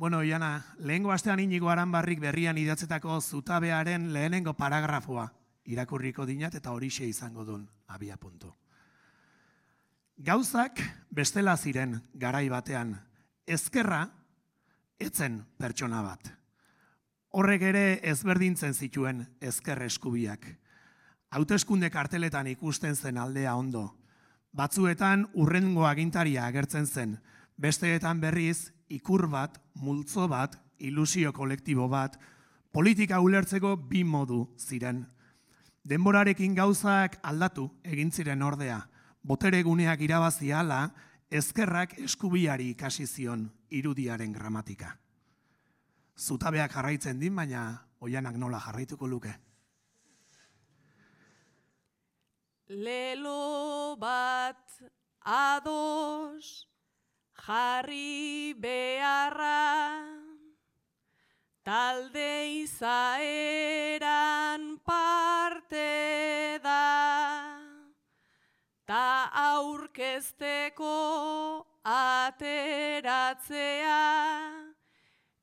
Bueno, Iana, lehengo astean Inigo Aranbarrik berrian idatzetako zutabearen lehenengo paragrafoa irakurriko dinat eta horixe izango duen abia puntu. Gauzak bestela ziren garai batean, ezkerra etzen pertsona bat. Horrek ere ezberdintzen zituen ezker eskubiak. Hauteskunde karteletan ikusten zen aldea ondo. Batzuetan urrengo agintaria agertzen zen, besteetan berriz ikur bat, multzo bat, ilusio kolektibo bat, politika ulertzeko bi modu ziren. Denborarekin gauzak aldatu egin ziren ordea, botere guneak irabazi ahala, ezkerrak eskubiari ikasi zion irudiaren gramatika. Zutabeak jarraitzen din, baina Oianak nola jarraituko luke. Lelo bat ados jarri beharra, talde izaeran parte da, ta aurkezteko ateratzea,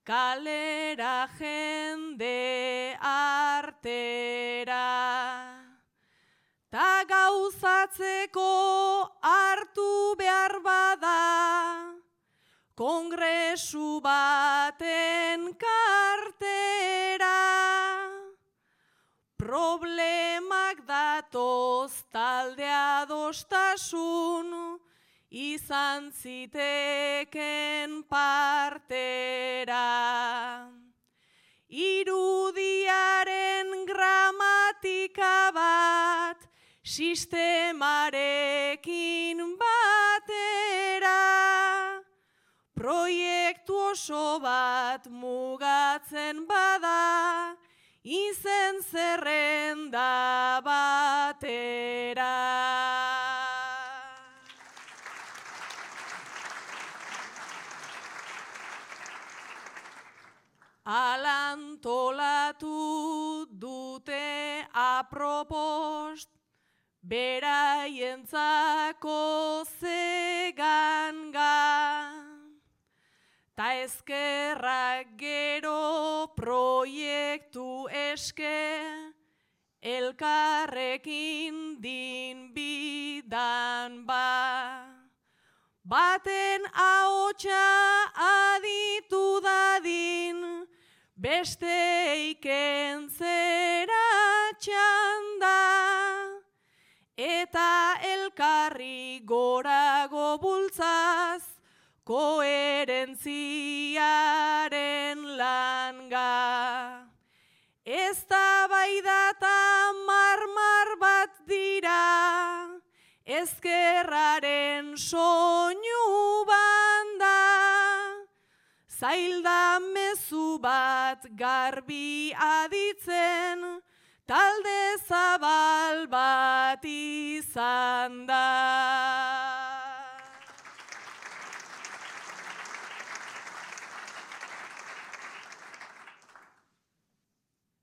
kalera jende artera. Ta gauzatzeko hartu behar bada, kongresu baten kartera. Problemak datoz talde adostasun, izan ziteken partera. Irudiaren gramatika bat, sistemarekin batera, proiektu oso bat mugatzen bada, izen zerrenda batera. Alantolatu dute apropost, beraientzako zeganga, ta ezkerrak gero proiektu eske, elkarrekin din bidan ba. Baten ahotsa aditu dadin, beste ikentzera txanda, eta elkarri gorago bultzaz, koherentziaren langa. Eztabaidata marmar bat dira, ezkerraren soinu banda, zailda mezu bat garbi aditzen, talde zabal bat izan da.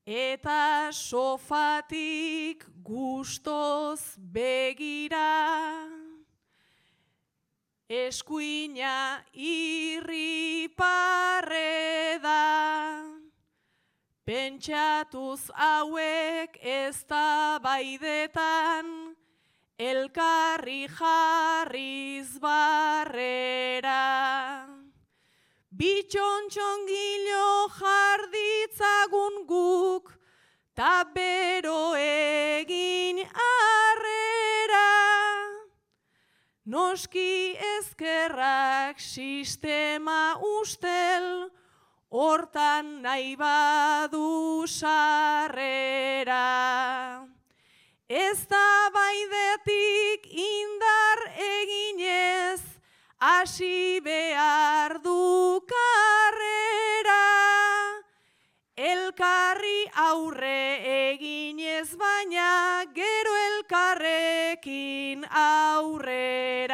Eta sofatik gustoz begira, eskuina irriparre da, pentsatuz hauek eztabaidetan, elkarri jarriz barrera. Bitxontxongilo jarditzagun guk, ta bero egin arrera. Noski ezkerrak sistema ustel, hortan nahi badu sarrera. Eztabaidetik indar eginez, hasi behar du karrera, elkarri aurre eginez baina gero elkarrekin aurrera.